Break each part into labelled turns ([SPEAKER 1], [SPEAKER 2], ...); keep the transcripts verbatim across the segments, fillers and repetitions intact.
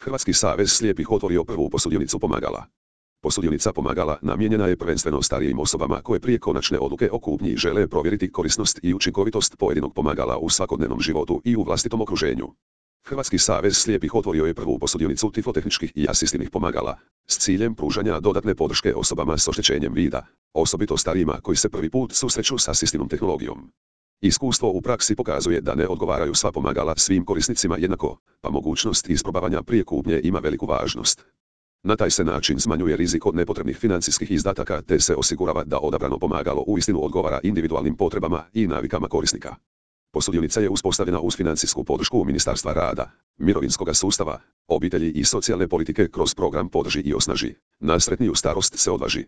[SPEAKER 1] Hrvatski savez slijepih otvorio prvu posudionicu pomagala. Posudionica pomagala namijenjena je prvenstveno starijim osobama koje prije konačne odluke o kupnji žele provjeriti korisnost i učinkovitost pojedinog pomagala u svakodnevnom životu i u vlastitom okruženju. Hrvatski savez slijepih otvorio je prvu posudionicu tiflotehničkih i asistivnih pomagala, s ciljem pružanja dodatne podrške osobama s oštećenjem vida, osobito starijima koji se prvi put susreću s asistivnom tehnologijom. Iskustvo u praksi pokazuje da ne odgovaraju sva pomagala svim korisnicima jednako, pa mogućnost isprobavanja prije kupnje ima veliku važnost. Na taj se način smanjuje rizik od nepotrebnih financijskih izdataka te se osigurava da odabrano pomagalo uistinu odgovara individualnim potrebama i navikama korisnika. Posudionica je uspostavljena uz financijsku podršku Ministarstva rada, mirovinskoga sustava, obitelji i socijalne politike kroz program Podrži i osnaži, na sretniju starost se odvaži.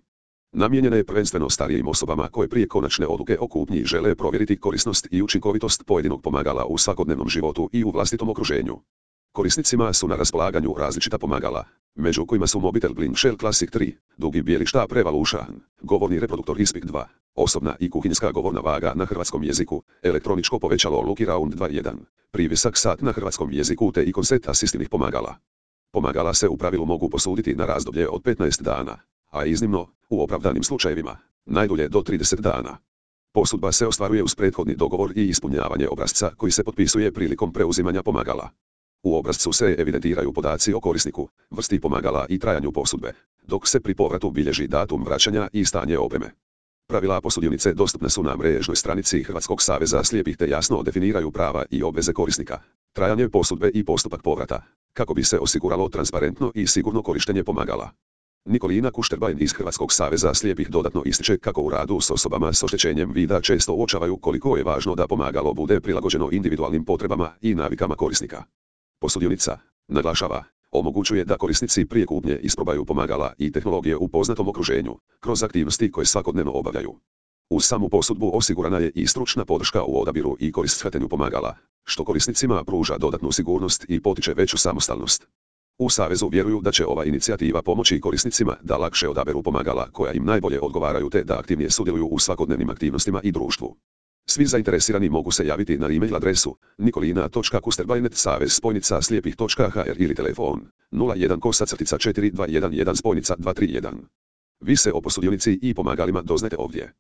[SPEAKER 1] Namijenjena je prvenstveno starijim osobama koje prije konačne odluke o kupnji žele provjeriti korisnost i učinkovitost pojedinog pomagala u svakodnevnom životu i u vlastitom okruženju. Korisnicima su na raspolaganju različita pomagala, među kojima su Mobitel Blink Shell Classic tri, dugi bijeli štap Revolution, govorni reproduktor Ispik dva, osobna i kuhinjska govorna vaga na hrvatskom jeziku, elektroničko povećalo Lucky Round dva jedan, privisak sat na hrvatskom jeziku te ikon set asistivnih pomagala. Pomagala se u pravilu mogu posuditi na razdoblje od petnaest dana, a iznimno, u opravdanim slučajevima, najdulje do trideset dana. Posudba se ostvaruje uz prethodni dogovor i ispunjavanje obrasca koji se potpisuje prilikom preuzimanja pomagala. U obrascu se evidentiraju podaci o korisniku, vrsti pomagala i trajanju posudbe, dok se pri povratu bilježi datum vraćanja i stanje opreme. Pravila posudionice dostupne su na mrežnoj stranici Hrvatskog saveza slijepih te jasno definiraju prava i obveze korisnika, trajanje posudbe i postupak povrata, kako bi se osiguralo transparentno i sigurno korištenje pomagala. Nikolina Kušterbajn iz Hrvatskog saveza slijepih dodatno ističe kako u radu s osobama s oštećenjem vida često uočavaju koliko je važno da pomagalo bude prilagođeno individualnim potrebama i navikama korisnika. Posudionica, naglašava, omogućuje da korisnici prije kupnje isprobaju pomagala i tehnologije u poznatom okruženju, kroz aktivnosti koje svakodnevno obavljaju. Uz samu posudbu osigurana je i stručna podrška u odabiru i korištenju pomagala, što korisnicima pruža dodatnu sigurnost i potiče veću samostalnost. U Savezu vjeruju da će ova inicijativa pomoći korisnicima da lakše odaberu pomagala koja im najbolje odgovaraju te da aktivnije sudjeluju u svakodnevnim aktivnostima i društvu. Svi zainteresirani mogu se javiti na e-mail adresu nikolina točka kusterbajnet savez spojnica slijepih točka hr ili telefon nula jedan kosa crtica četiri dva jedan jedan spojnica dva tri jedan. Vi se o posudionici i pomagalima doznajte ovdje.